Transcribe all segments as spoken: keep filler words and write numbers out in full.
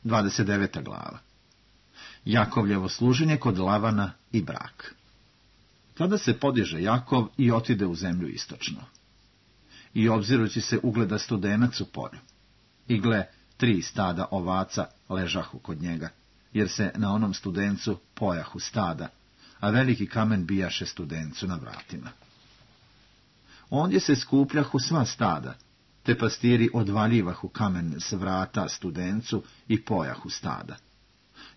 dvadeset deveta glava. Jakovljevo služenje kod Lavana i brak. Tada se podiže Jakov i otide u zemlju istočno. I obzirući se ugleda studenac u polju. I gle, tri stada ovaca ležahu kod njega, jer se na onom studencu pojahu stada, a veliki kamen bijaše studencu na vratima. Ondje se skupljahu sva stada, te pastiri odvaljivahu kamen s vrata studencu i pojahu stada.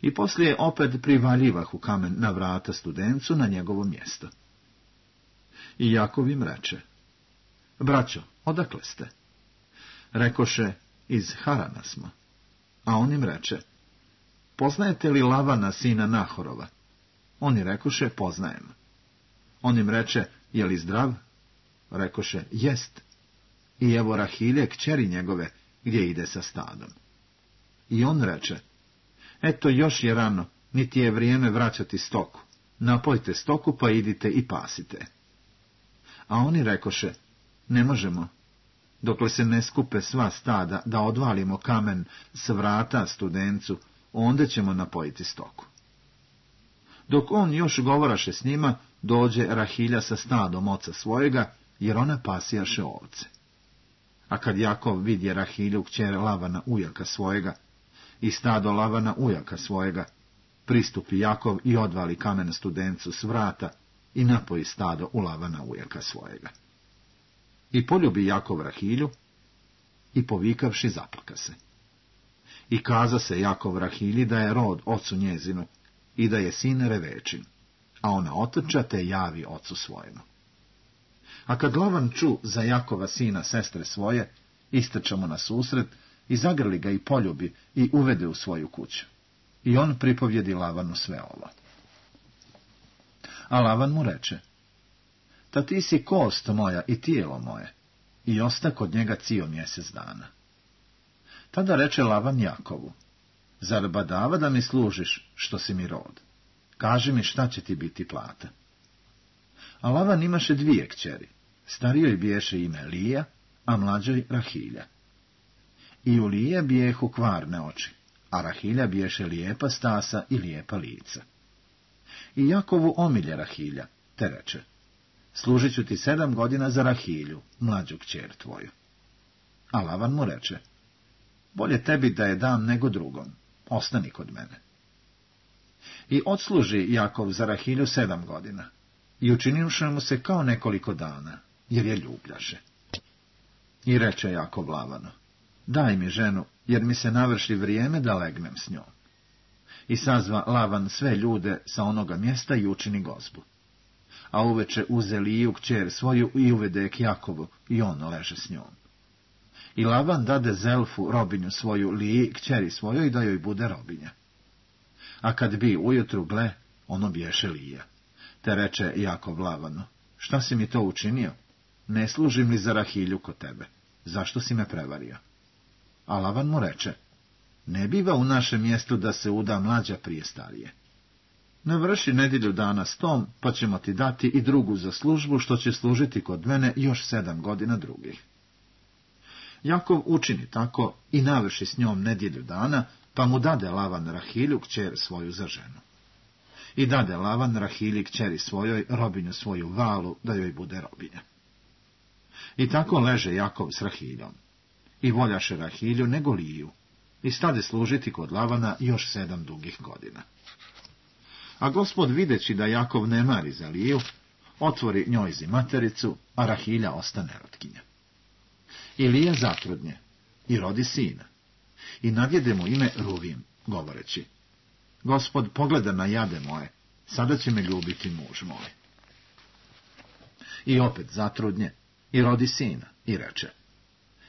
I poslije opet privaljivahu kamen na vrata studencu na njegovo mjesto. I Jakov im reče: braćo, odakle ste? Rekoše: iz Harana smo. A on im reče: poznajete li Lavana, sina Nahorova? Oni rekoše: poznajemo. On im reče: je li zdrav? Rekoše: jest. I evo Rahilje, kćeri njegove, gdje ide sa stadom. I on reče: eto, još je rano, niti je vrijeme vraćati stoku. Napojte stoku, pa idite i pasite. A oni rekoše: ne možemo, dokle se ne skupe sva stada, da odvalimo kamen s vrata studencu, onda ćemo napojiti stoku. Dok on još govoraše s njima, dođe Rahilja sa stadom oca svojega, jer ona pasijaše ovce. A kad Jakov vidje Rahilju, kćer Lavana ujaka svojega, i stado Lavana ujaka svojega, pristupi Jakov i odvali kamen studencu s vrata i napoji stado u Lavana ujaka svojega. I poljubi Jakov Rahilju i povikavši zaplaka se. I kaza se Jakov Rahilji da je rod ocu njezinu i da je sin Revečin, a ona otrča te javi ocu svojemu. A kad Lavan ču za Jakova sina sestre svoje, istrča mu na susret i zagrli ga i poljubi i uvede u svoju kuću. I on pripovjedi Lavanu sve ovo. A Lavan mu reče: ta ti si kost moja i tijelo moje, i osta kod njega cio mjesec dana. Tada reče Lavan Jakovu: zar badava da mi služiš, što si mi rod? Kaži mi šta će ti biti plata. A Lavan imaše dvije kćeri, starijoj biješe ime Lija, a mlađoj Rahilja. I u Lije bijehu kvarne oči, a Rahilja biješe lijepa stasa i lijepa lica. I Jakovu omilje Rahilja, te reče: služit ću ti sedam godina za Rahilju, mlađu kćer tvoju. A Lavan mu reče: bolje tebi da je dam nego drugom, ostani kod mene. I odsluži Jakov za Rahilju sedam godina, i učinivše mu se kao nekoliko dana, jer je ljubljaše. I reče Jakov Lavanu: daj mi ženu, jer mi se navrši vrijeme da legnem s njom. I sazva Lavan sve ljude sa onoga mjesta i učini gozbu. A uveče uze Liju kćer svoju i uvede k Jakovu, i on leže s njom. I Lavan dade Zelfu, robinju svoju, Liji kćeri svojoj, da joj bude robinja. A kad bi ujutru, gle, ono bješe Lija. Te reče Jakov Lavanu: šta si mi to učinio? Ne služim li za Rahilju kod tebe? Zašto si me prevario? A Lavan mu reče: ne biva u našem mjestu da se uda mlađa prije starije. Navrši nedjelju dana s tom, pa ćemo ti dati i drugu za službu, što će služiti kod mene još sedam godina drugih. Jakov učini tako i navrši s njom nedjelju dana, pa mu dade Lavan Rahilju kćer svoju za ženu. I dade Lavan Rahilji kćeri svojoj robinju svoju Valu, da joj bude robinja. I tako leže Jakov s Rahiljom. I voljaše Rahilju nego Liju, i stade služiti kod Lavana još sedam dugih godina. A Gospod, videći da Jakov ne mari za Liju, otvori njojzi matericu, a Rahilja ostane rotkinja. I Lija zatrudnje i rodi sina, i nadjede mu ime Ruvim, govoreći: Gospod pogleda na jade moje, sada će me ljubiti muž moj. I opet zatrudnje i rodi sina, i reče: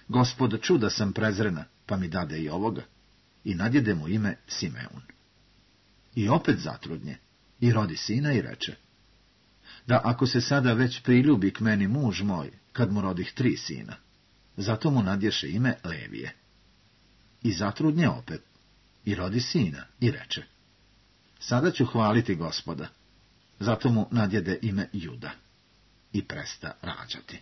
Gospod, ču da sam prezrena, pa mi dade i ovoga, i nadjede mu ime Simeun. I opet zatrudnje i rodi sina, i reče: da ako se sada već priljubi k meni muž moj, kad mu rodih tri sina, zato mu nadješe ime Levije. I zatrudnje opet i rodi sina, i reče: sada ću hvaliti Gospoda, zato mu nadjede ime Juda, i presta rađati.